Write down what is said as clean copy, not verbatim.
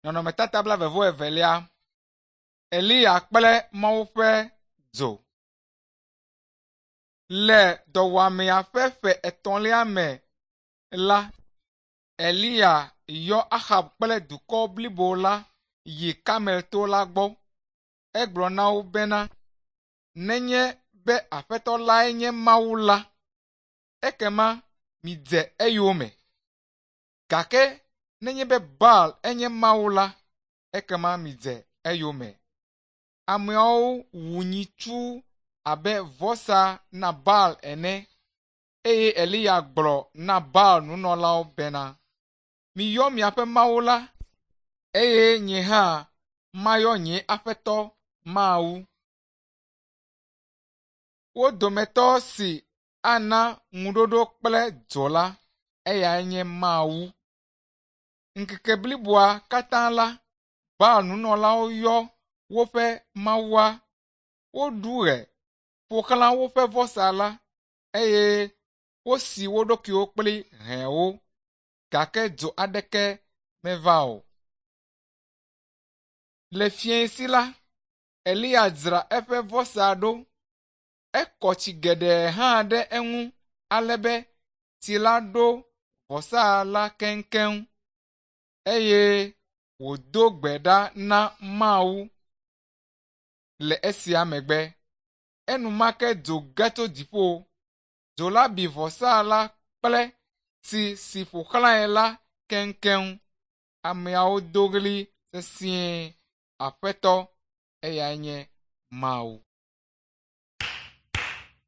Nɔnɔmetata blaeve-vɔ-evelia. Eliya kple Mawu ƒe dzo. Le dɔwɔamea ƒe ƒe etɔ̃lia me la, Eliya yɔ Ahab kple dukɔ blibo la yi Karmel to la gbɔ. Egblɔ na wo bena, Nenye be Aƒetɔ lae nye Mawu la, ekema midze eyome. Gake nenye be Baal enye Mawu la, ekema midze eyome. Ameawo wu nyitsu abe vɔsa na Baal ene eye Eliya gblɔ na Baal nunɔlawo bena, Miyɔ miaƒe Mawu la, eye nye hã mayɔ nye Aƒetɔ Mawu. Wo dometɔ si ana ŋuɖoɖo kple dzo la, eyae nye Mawu. Ŋkeke bliboa katã la, Baal nunɔlawo yɔ woƒe mawua, woɖu ɣe, ƒo xlã woƒe vɔsa la, eye wosi wo ɖokuiwo kple hɛwo, gake dzo aɖeke meva o. Le fiẽsi la, Eliya dzra eƒe vɔsa ɖo. Ekɔ tsi geɖe hã ɖe eŋu ale be tsi la ɖo vɔsa la keŋkeŋ eye wòdo gbe ɖa na Mawu le esia megbe. Enumake dzo ge tso dziƒo. Dzo la bi vɔsa la kple tsi si ƒo xlãe la keŋkeŋ. Ameawo do ɣli sesĩe, Aƒetɔ, eyae nye Mawu.